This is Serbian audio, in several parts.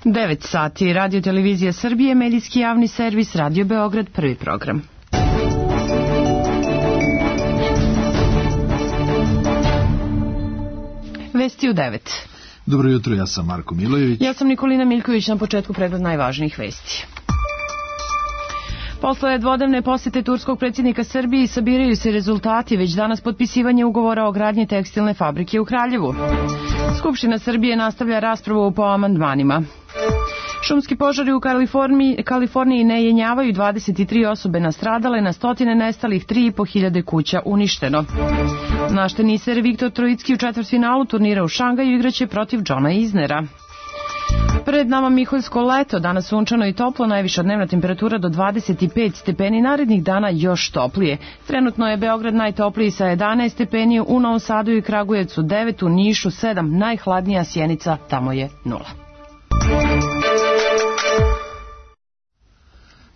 9 sati, Radio Televizija Srbije, medijski javni servis, Radio Beograd, prvi program. Vesti u 9. Dobro jutro, ja sam Marko Milojević. Ja sam Nikolina Miljković, na početku pregled najvažnijih vesti. Posle dvodnevne posete turskog predsjednika Srbiji sabiraju se rezultati, već danas potpisivanje ugovora o gradnji tekstilne fabrike u Kraljevu. Skupština Srbije nastavlja raspravu po amandmanima. Šumski požari u Kaliforniji ne jenjavaju, 23 osobe nastradale, na stotine nestalih, 3.500 kuća uništeno. Naš teniser Viktor Trojicki u četvrtfinalu turnira u Šangaju igraće protiv Johna Isnera. Pred nama Miholjsko leto, danas sunčano i toplo, najviša dnevna temperatura do 25 stepeni, narednih dana još toplije. Trenutno je Beograd najtopliji sa 11 stepeni, u Novom Sadu i Kragujevcu 9, u Nišu 7, najhladnija Sjenica, tamo je 0.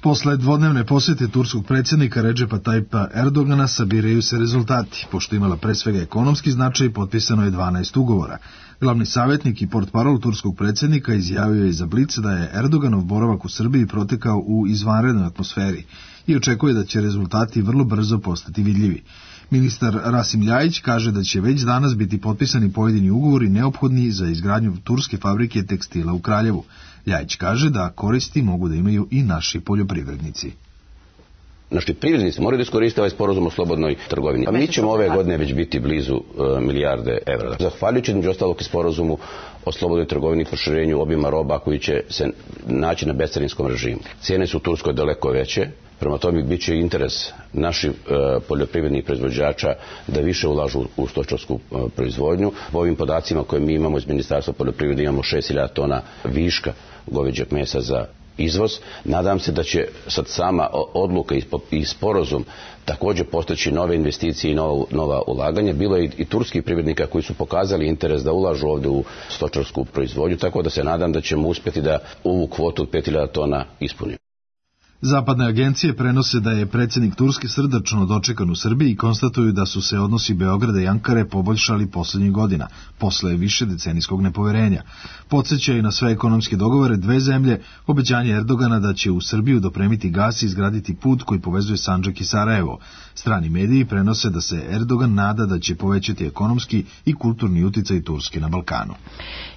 Posle dvodnevne posjete turskog predsjednika Redžepa Tajpa Erdogana sabiraju se rezultati. Pošto imala pre svega ekonomski značaj, potpisano je 12 ugovora. Glavni savjetnik i portparol turskog predsjednika izjavio je za Blic da je Erdoganov boravak u Srbiji protekao u izvanrednoj atmosferi i očekuje da će rezultati vrlo brzo postati vidljivi. Ministar Rasim Ljajić kaže da će već danas biti potpisani pojedini ugovori neophodni za izgradnju turske fabrike tekstila u Kraljevu. Ljajić kaže da koristi mogu da imaju i naši poljoprivrednici. Naši privrednici moraju da iskoriste ovaj sporazum o slobodnoj trgovini. A mi ćemo ove godine već biti blizu milijarde evra. Zahvaljujući među ostalog i sporazumu o slobodnoj trgovini i proširenju obima roba koji će se naći na bescarinskom režimu. Cijene su u Turskoj daleko veće, prema tome bit će interes naših poljoprivrednih proizvođača da više ulažu u stočarsku proizvodnju. Po ovim podacima koje mi imamo iz Ministarstva poljoprivrede imamo 6.000 tona viška goveđeg mesa za izvoz. Nadam se da će sad sama odluka i sporazum također postaći nove investicije i nova ulaganja. Bilo je i turskih privrednika koji su pokazali interes da ulažu ovdje u stočarsku proizvodnju, tako da se nadam da ćemo uspjeti da ovu kvotu od 5.000 tona ispunimo. Zapadne agencije prenose da je predsjednik Turske srdačno dočekan u Srbiji i konstatuju da su se odnosi Beograda i Ankare poboljšali posljednjih godina, posle više decenijskog nepoverenja. Podsećaju na sve ekonomske dogovore dve zemlje, obećanje Erdogana da će u Srbiju dopremiti gas i izgraditi put koji povezuje Sandžak i Sarajevo. Strani mediji prenose da se Erdogan nada da će povećati ekonomski i kulturni uticaj Turske na Balkanu.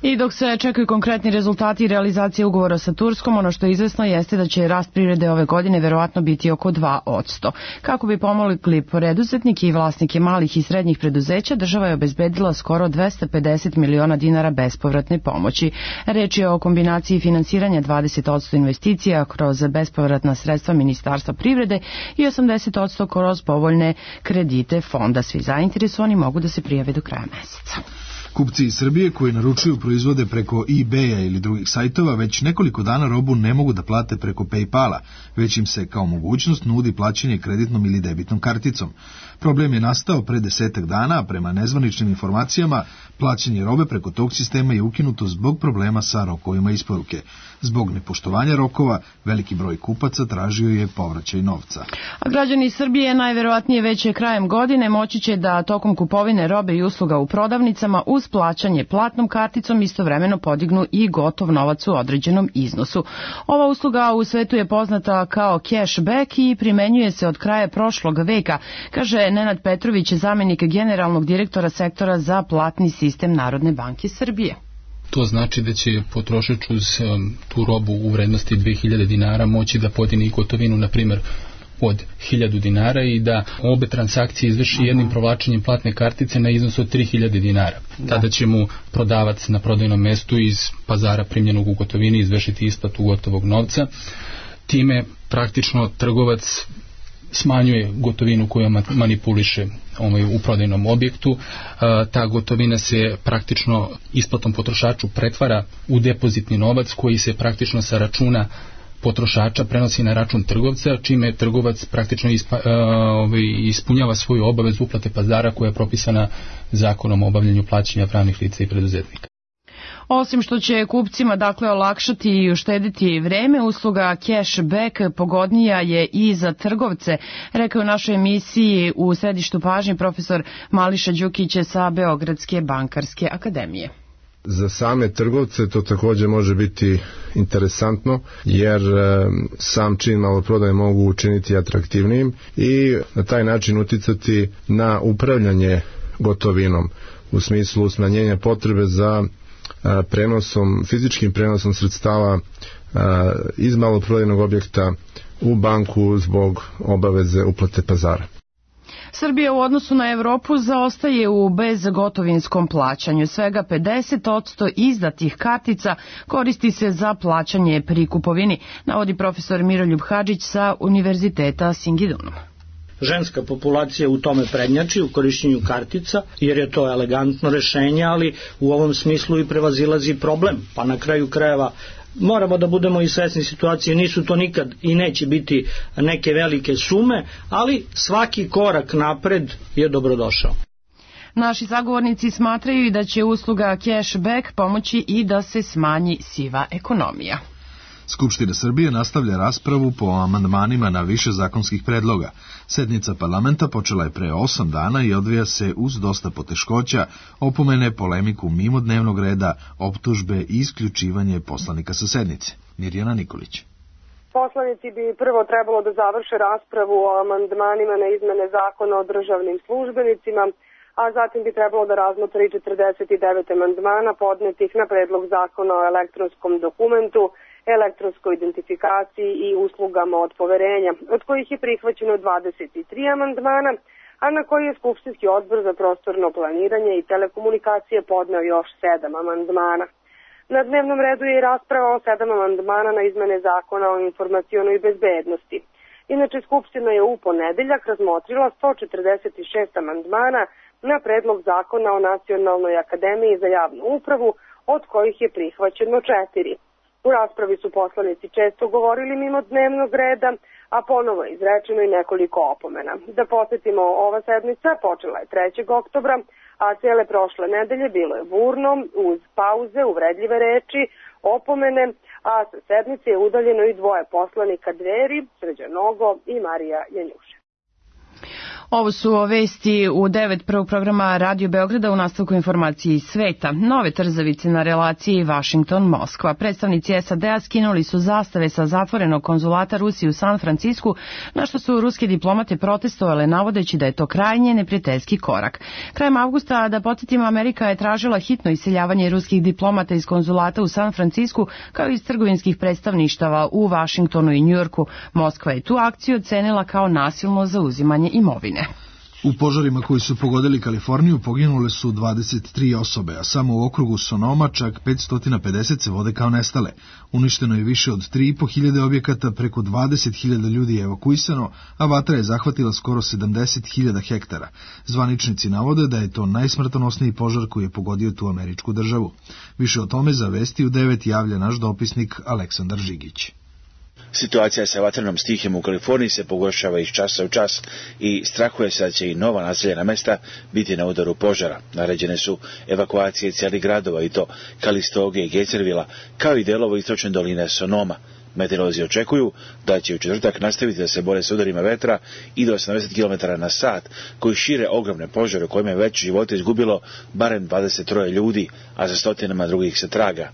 I dok se čekaju konkretni rezultati i realizacije ugovora sa Turskom, ono što je izvesno jeste da će rast privrede ove godine verovatno biti oko 2%. Kako bi pomogli preduzetnike i vlasnike malih i srednjih preduzeća, država je obezbedila skoro 250 miliona dinara bespovratne pomoći. Reč je o kombinaciji finansiranja 20% investicija kroz bespovratna sredstva Ministarstva privrede i 80% kroz povoljne kredite fonda. Svi zainteresovani mogu da se prijave do kraja meseca. Kupci iz Srbije koji naručuju proizvode preko eBay-a ili drugih sajtova već nekoliko dana robu ne mogu da plate preko PayPala, već im se kao mogućnost nudi plaćanje kreditnom ili debitnom karticom. Problem je nastao pre 10 dana, a prema nezvaničnim informacijama plaćanje robe preko tog sistema je ukinuto zbog problema sa rokovima isporuke. Zbog nepoštovanja rokova, veliki broj kupaca tražio je povraćaj novca. A građani Srbije najverovatnije već krajem godine moći će da tokom kupovine robe i usluga u prodavnicama uz plaćanje platnom karticom istovremeno podignu i gotov novac u određenom iznosu. Ova usluga u svetu je poznata kao cashback i primenjuje se od kraja prošlog veka, kaže Nenad Petrović, zamenik generalnog direktora sektora za platni sistem Narodne banke Srbije. To znači da će potrošač uz tu robu u vrednosti 2000 dinara moći da podigne i gotovinu, na primjer, od 1000 dinara i da obe transakcije izvrši jednim provlačenjem platne kartice na iznos od 3000 dinara. Tada će mu prodavac na prodajnom mestu iz pazara primljenog u gotovini izvršiti isplatu gotovog novca. Time praktično trgovac smanjuje gotovinu koju manipuliše u prodajnom objektu. Ta gotovina se praktično isplatom potrošaču pretvara u depozitni novac koji se praktično sa računa potrošača prenosi na račun trgovca, čime trgovac praktično ispunjava svoju obavezu uplate pazara koja je propisana Zakonom o obavljanju plaćanja pravnih lica i preduzetnika. Osim što će kupcima olakšati i uštediti vreme, usluga cashback pogodnija je i za trgovce, rekao u našoj emisiji u središtu pažnje profesor Mališa Đukić sa Beogradske bankarske akademije. Za same trgovce to također može biti interesantno, jer sam čin maloprodaje mogu učiniti atraktivnijim i na taj način uticati na upravljanje gotovinom u smislu smanjenja potrebe za fizičkim prenosom sredstava iz maloprodajnog objekta u banku zbog obaveze uplate pazara. Srbija u odnosu na Evropu zaostaje u bezgotovinskom plaćanju. Svega 50% izdatih kartica koristi se za plaćanje pri kupovini, navodi profesor Miroljub Hadžić sa Univerziteta Singidunum. Ženska populacija u tome prednjači u korišćenju kartica, jer je to elegantno rešenje, ali u ovom smislu i prevazilazi problem. Pa na kraju krajeva moramo da budemo i svesni situacije, nisu to nikad i neće biti neke velike sume, ali svaki korak napred je dobrodošao. Naši sagovornici smatraju i da će usluga cashback pomoći i da se smanji siva ekonomija. Skupština Srbije nastavlja raspravu po amandmanima na više zakonskih predloga. Sednica parlamenta počela je pre 8 dana i odvija se uz dosta poteškoća, opomene, polemiku mimo dnevnog reda, optužbe i isključivanje poslanika sa sednice. Mirjana Nikolić. Poslanici bi prvo trebalo da završe raspravu o amandmanima na izmene zakona o državnim službenicima, a zatim bi trebalo da razmotre 49 amandmana podnetih na predlog zakona o elektronskom dokumentu, elektronskoj identifikaciji i uslugama od poverenja, od kojih je prihvaćeno 23 amandmana, a na koji je Skupštinski odbor za prostorno planiranje i telekomunikacije podneo još 7 amandmana. Na dnevnom redu je i rasprava o 7 amandmana na izmene zakona o informacionoj bezbednosti. Inače, Skupština je u ponedeljak razmotrila 146 amandmana na predlog zakona o Nacionalnoj akademiji za javnu upravu, od kojih je prihvaćeno 4. U raspravi su poslanici često govorili mimo dnevnog reda, a ponovo je izrečeno i nekoliko opomena. Da podsjetimo, ova sednica počela je 3. oktobra, a cijele prošle nedelje bilo je burno, uz pauze, uvredljive reči, opomene, a sa sednice je udaljeno i 2 poslanika Dveri, Srđan Nogo i Marija Janjuša. Ovo su vesti u 9 prvog programa Radio Beograda u nastavku informacije iz sveta. Nove trzavice na relaciji Washington-Moskva. Predstavnici SAD-a skinuli su zastave sa zatvorenog konzulata Rusije u San Francisku, na što su ruske diplomate protestovale navodeći da je to krajnje neprijateljski korak. Krajem avgusta, da podsjetimo, Amerika je tražila hitno iseljavanje ruskih diplomata iz konzulata u San Francisku kao i iz trgovinskih predstavništava u Washingtonu i Njujorku. Moskva je tu akciju ocenila kao nasilno zauzimanje imovine. U požarima koji su pogodili Kaliforniju poginule su 23 osobe, a samo u okrugu Sonoma čak 550 se vode kao nestale. Uništeno je više od 3.500 objekata, preko 20.000 ljudi je evakuisano, a vatra je zahvatila skoro 70.000 hektara. Zvaničnici navode da je to najsmrtonosniji požar koji je pogodio tu američku državu. Više o tome za Vesti u 9 javlja naš dopisnik Aleksandar Žigić. Situacija sa vatrenom stihijom u Kaliforniji se pogoršava iz časa u čas i strahuje se da će i nova naseljena mesta biti na udaru požara. Naređene su evakuacije cijelih gradova, i to Kalistoge i Gejzervila, kao i delova istočne doline Sonoma. Meteorolozi očekuju da će u četvrtak nastaviti da se bore s udarima vetra i do 80 km na sat, koji šire ogromne požare u kojima je već živote izgubilo barem 23 ljudi, a za stotinama drugih se traga.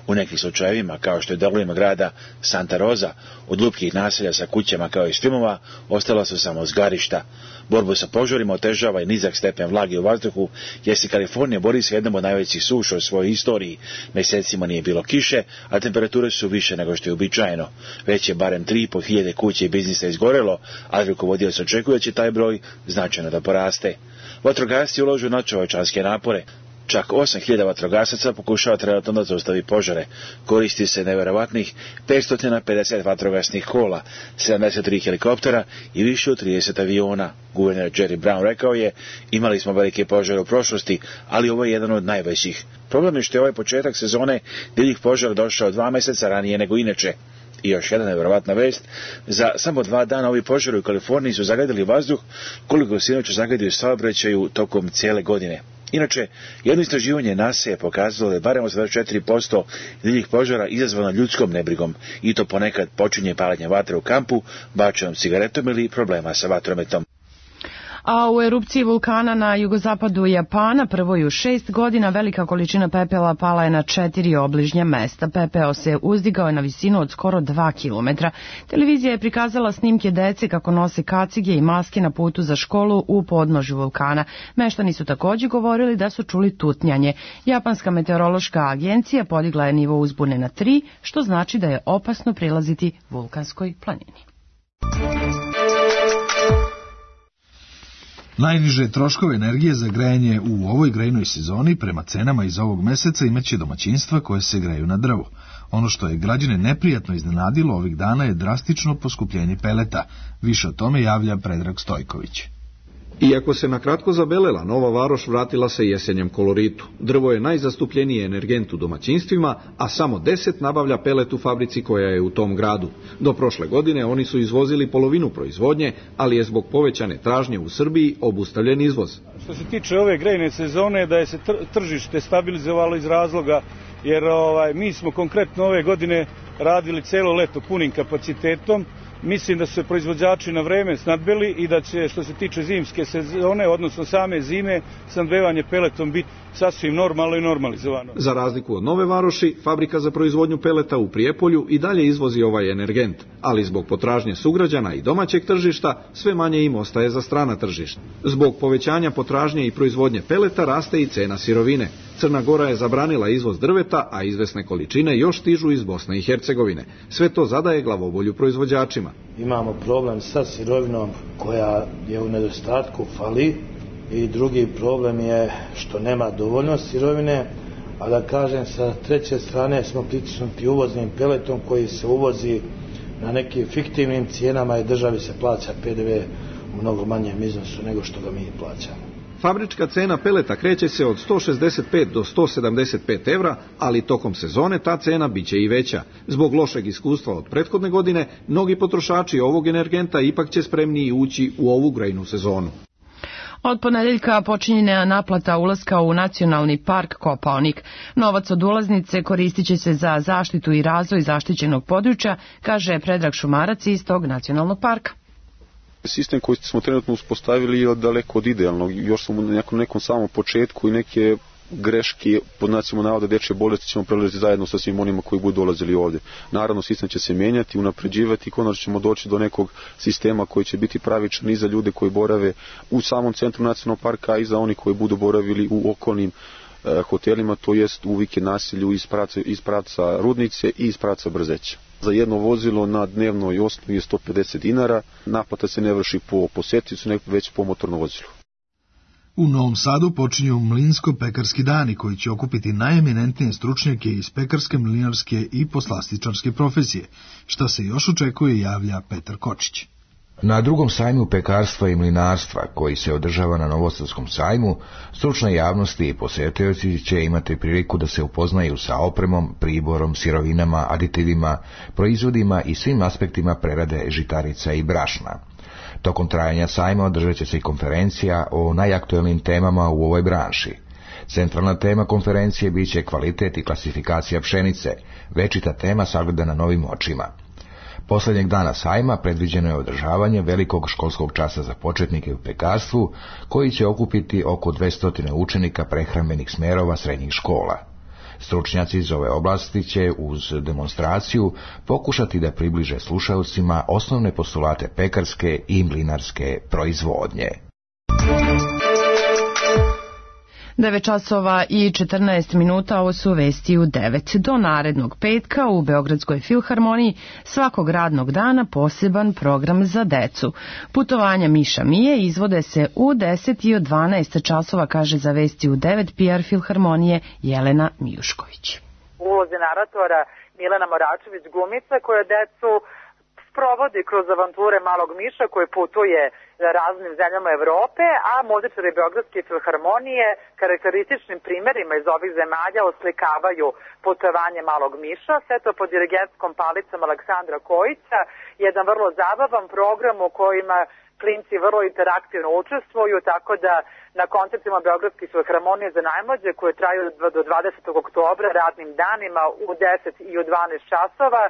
U nekim slučajevima, kao što je delovima grada Santa Rosa, od lupkih naselja sa kućama kao i filmova, ostala su samo zgarišta. Borbu sa požarima otežava i nizak stepen vlage u vazduhu, jer se Kalifornija bori sa jednom od najvećih suša u svojoj istoriji. Mesecima nije bilo kiše, a temperature su više nego što je uobičajeno. Već je barem 3.500 kuće i biznisa izgorelo, a rukovodioc očekuje da će taj broj značajno da poraste. Vatrogasci ulažu nadčovečanske napore. Čak 8.000 vatrogasaca pokušava trenutno da zaustavi požare. Koristi se nevjerovatnih 550 vatrogasnih kola, 73 helikoptera i više od 30 aviona. Guverner Jerry Brown rekao je: imali smo velike požare u prošlosti, ali ovo je jedan od najvećih. Problem je što je ovaj početak sezone divljih požara došao 2 mjeseca ranije nego inače. I još jedna nevjerovatna vest: za samo 2 dana ovi požari u Kaliforniji su zagadili vazduh koliko se inače zagadio saobraćaju tokom cijele godine. Inače, jedno istraživanje NASA je pokazalo da je barem 84% divljih požara izazvano ljudskom nebrigom, i to ponekad počinje paljenje vatre u kampu, bačenom cigaretom ili problema sa vatrometom. A u erupciji vulkana na jugozapadu Japana, prvoj u 6 godina, velika količina pepela pala je na 4 obližnja mesta. Pepeo se uzdigao je na visinu od skoro 2 kilometra. Televizija je prikazala snimke dece kako nose kacige i maske na putu za školu u podnožju vulkana. Meštani su također govorili da su čuli tutnjanje. Japanska meteorološka agencija podigla je nivo uzbune na 3, što znači da je opasno prilaziti vulkanskoj planini. Najniže troškove energije za grejanje u ovoj grejnoj sezoni prema cenama iz ovog meseca imaće domaćinstva koje se greju na drvo. Ono što je građane neprijatno iznenadilo ovih dana je drastično poskupljenje peleta. Više o tome javlja Predrag Stojković. Iako se na kratko zabelela, Nova Varoš vratila se jesenjem koloritu. Drvo je najzastupljeniji energent u domaćinstvima, a samo 10 nabavlja pelet u fabrici koja je u tom gradu. Do prošle godine oni su izvozili polovinu proizvodnje, ali je zbog povećane tražnje u Srbiji obustavljen izvoz. Što se tiče ove grejne sezone, da je se tržište stabilizovalo iz razloga, jer mi smo konkretno ove godine radili celo leto punim kapacitetom. Mislim da su se proizvođači na vreme snadbili i da će, što se tiče zimske sezone, odnosno same zime, snadbevanje peletom biti sasvim normalno i normalizovano. Za razliku od Nove Varoši, fabrika za proizvodnju peleta u Prijepolju i dalje izvozi ovaj energent, ali zbog potražnje sugrađana i domaćeg tržišta sve manje im ostaje za strana tržišta. Zbog povećanja potražnje i proizvodnje peleta raste i cena sirovine. Crna Gora je zabranila izvoz drveta, a izvesne količine još stižu iz Bosne i Hercegovine. Sve to zadaje glavobolju proizvođačima. Imamo problem sa sirovinom koja je u nedostatku, fali, i drugi problem je što nema dovoljno sirovine, a da kažem sa treće strane smo pritisnuti uvoznim peletom koji se uvozi na nekim fiktivnim cijenama i državi se plaća PDV u mnogo manjem iznosu nego što ga mi plaćamo. Fabrička cena peleta kreće se od 165 do 175 evra, ali tokom sezone ta cena biće i veća. Zbog lošeg iskustva od prethodne godine, mnogi potrošači ovog energenta ipak će spremniji ući u ovu grejnu sezonu. Od ponedeljka počinje naplata ulaska u Nacionalni park Kopaonik. Novac od ulaznice koristit će se za zaštitu i razvoj zaštićenog područja, kaže Predrag Šumarac iz tog nacionalnog parka. Sistem koji smo trenutno uspostavili je daleko od idealnog. Još smo na nekom samom početku i neke greške pod znacima navoda dečje bolesti ćemo prelaziti zajedno sa svim onima koji budu dolazili ovdje. Naravno, sistem će se mijenjati, unapređivati i konačno ćemo doći do nekog sistema koji će biti pravičan i za ljude koji borave u samom centru nacionalnog parka i za oni koji budu boravili u okolnim hotelima, to jest u vikend naselju iz pravca Rudnice i iz pravca Brzeća. Za jedno vozilo na dnevnoj osnovi je 150 dinara, naplata se ne vrši po posjetiocu, nego već po motornom vozilu. U Novom Sadu počinju mlinsko-pekarski dani koji će okupiti najeminentnije stručnjake iz pekarske, mlinarske i poslastičarske profesije, što se još očekuje, javlja Petar Kočić. Na drugom sajmu pekarstva i mlinarstva, koji se održava na Novosadskom sajmu, stručna javnost i posjetioci će imati priliku da se upoznaju sa opremom, priborom, sirovinama, aditivima, proizvodima i svim aspektima prerade žitarica i brašna. Tokom trajanja sajma održat će se i konferencija o najaktuelnim temama u ovoj branši. Centralna tema konferencije bit će kvalitet i klasifikacija pšenice, večita tema sagledana novim očima. Posljednjeg dana sajma predviđeno je održavanje velikog školskog časa za početnike u pekarstvu, koji će okupiti oko 200 učenika prehrambenih smerova srednjih škola. Stručnjaci iz ove oblasti će uz demonstraciju pokušati da približe slušalcima osnovne postulate pekarske i mlinarske proizvodnje. 9 časova i 14 minuta, ovo su vesti u 9. Do narednog petka u Beogradskoj filharmoniji svakog radnog dana poseban program za decu. Putovanja Miša Mije izvode se u 10 i od 12 časova, kaže za vesti u 9 PR filharmonije Jelena Mijušković. Ulozi naratora Milena Moračević glumica koja decu sprovodi kroz avanture malog Miša koji putuje raznim zemljama Evrope, a muzičari Beogradske filharmonije karakterističnim primerima iz ovih zemalja oslikavaju putovanje malog Miša, sve to pod dirigentskom palicom Aleksandra Kojića, jedan vrlo zabavan program u kojima klinci vrlo interaktivno učestvuju, tako da na koncertima Beogradske filharmonije za najmlađe koje traju do 20. oktobra radnim danima u 10 i u 12 časova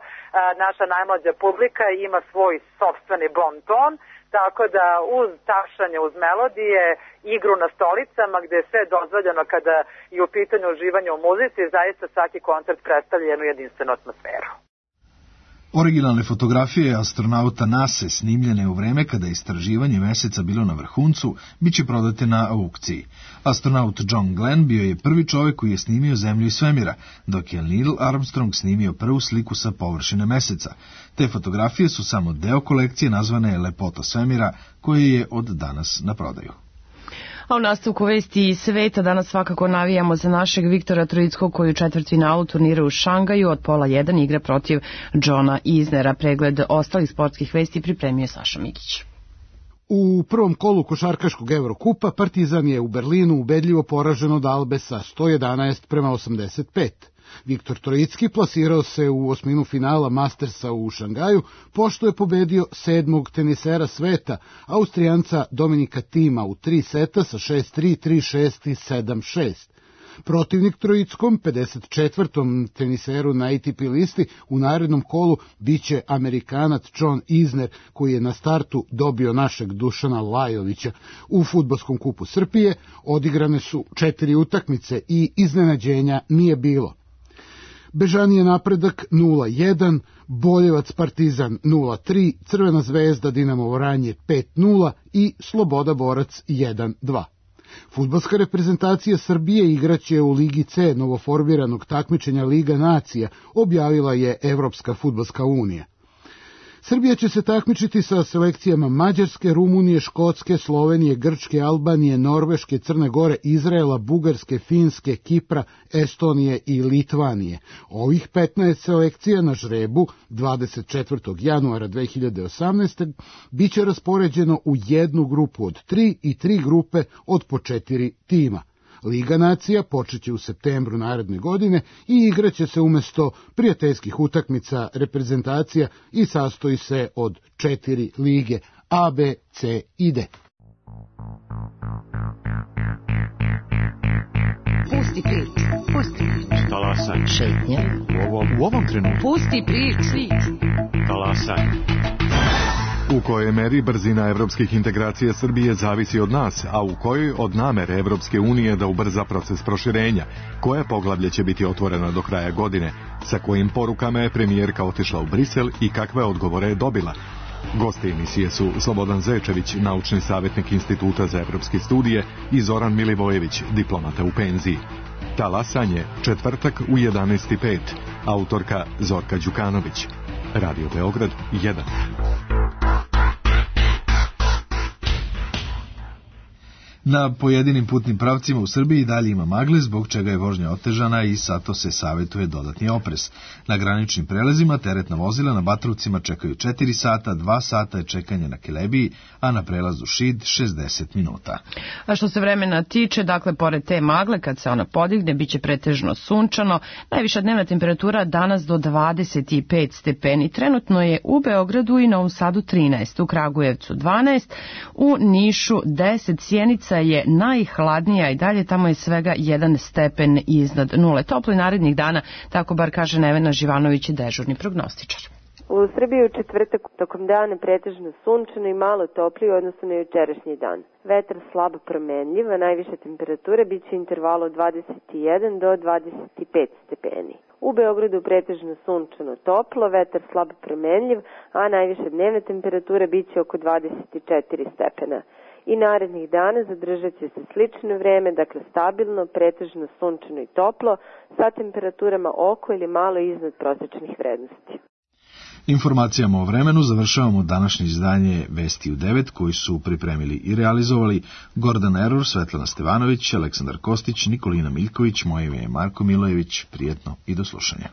naša najmlađa publika ima svoj sopstveni bon ton, tako da uz tapšanje, uz melodije, igru na stolicama gde je sve dozvoljeno kada je u pitanju uživanje u muzici, zaista svaki koncert predstavlja jednu jedinstvenu atmosferu. Originalne fotografije astronauta NASA snimljene u vreme kada je istraživanje meseca bilo na vrhuncu, bit će prodate na aukciji. Astronaut John Glenn bio je prvi čovjek koji je snimio Zemlju i svemira, dok je Neil Armstrong snimio prvu sliku sa površine meseca. Te fotografije su samo deo kolekcije nazvane Lepota svemira, koje je od danas na prodaju. A u nastavku vesti iz sveta danas svakako navijamo za našeg Viktora Trojickog koji u četvrtfinalu turnira u Šangaju od pola 1 igra protiv Johna Isnera. Pregled ostalih sportskih vesti pripremio Saša Mikić. U prvom kolu košarkaškog Evrokupa Partizan je u Berlinu ubedljivo poražen od Albe sa 111-85. Viktor Trojicki plasirao se u osminu finala Mastersa u Šangaju, pošto je pobedio 7. tenisera sveta, Austrijanca Dominika Tima u 3 seta sa 6-3, 3-6 i 7-6. Protivnik Trojickom, 54. teniseru na ATP listi, u narednom kolu biće Amerikanac John Isner, koji je na startu dobio našeg Dušana Lajovića. U fudbalskom kupu Srbije odigrane su 4 utakmice i iznenađenja nije bilo. Bežanije napredak 0-1, Boljevac Partizan 0-3, Crvena zvezda Dinamo Vranje 5-0 i Sloboda Borac 1-2. Fudbalska reprezentacija Srbije igraće u Ligi C novoformiranog takmičenja Liga nacija, objavila je Evropska fudbalska unija. Srbija će se takmičiti sa selekcijama Mađarske, Rumunije, Škotske, Slovenije, Grčke, Albanije, Norveške, Crne Gore, Izraela, Bugarske, Finske, Kipra, Estonije i Litvanije. Ovih 15 selekcija na žrebu 24. januara 2018. biće raspoređeno u jednu grupu od 3 i 3 grupe od po 4 tima. Liga nacija počeće u septembru naredne godine i igraće se umjesto prijateljskih utakmica reprezentacija i sastoji se od 4 lige A, B, C i D. Pusti priču, pusti priču. Talasaj. Šetnja. U ovom trenutku. Pusti priču. Talasaj. U kojoj meri brzina evropskih integracija Srbije zavisi od nas, a u kojoj od namere Evropske unije da ubrza proces proširenja, koje poglavlje će biti otvoreno do kraja godine, sa kojim porukama je premijerka otišla u Brisel i kakve odgovore je dobila. Gosti emisije su Slobodan Zečević, naučni savjetnik Instituta za evropske studije, i Zoran Milivojević, diplomata u penziji. Talasanje, četvrtak u 11:05. Autorka Zorka Đukanović. Radio Beograd 1. Na pojedinim putnim pravcima u Srbiji dalje ima magle, zbog čega je vožnja otežana i zato se savjetuje dodatni oprez. Na graničnim prelazima teretna vozila na Batrovcima čekaju 4 sata, 2 sata je čekanje na Kelebiji, a na prelazu Šid 60 minuta. A što se vremena tiče, dakle, pored te magle, kad se ona podigne, bit će pretežno sunčano. Najviša dnevna temperatura danas do 25 stepeni. Trenutno je u Beogradu i Novom Sadu 13, u Kragujevcu 12, u Nišu 10, Sjenica je najhladnija i dalje, tamo je svega 1 stepen iznad nule. Toplo narednih dana, tako bar kaže Nevena Živanović, dežurni prognostičar. U Srbiji u četvrtak tokom dana pretežno sunčano i malo toplije u odnosu na jučerašnji dan. Vetar slabo promenljiv, a najviša temperatura bit će intervalu 21 do 25 stepeni. U Beogradu pretežno sunčano toplo, vetar slabo promenljiv, a najviša dnevna temperatura bit će oko 24 stepena. I narednih dana zadržat će se slično vreme, dakle stabilno, pretežno sunčano i toplo, sa temperaturama oko ili malo iznad prosječnih vrednosti. Informacijama o vremenu završavamo današnje izdanje Vesti u 9, koji su pripremili i realizovali Gordan Eror, Svetlana Stevanović, Aleksandar Kostić, Nikolina Miljković, moje ime je Marko Milojević. Prijetno i do slušanja.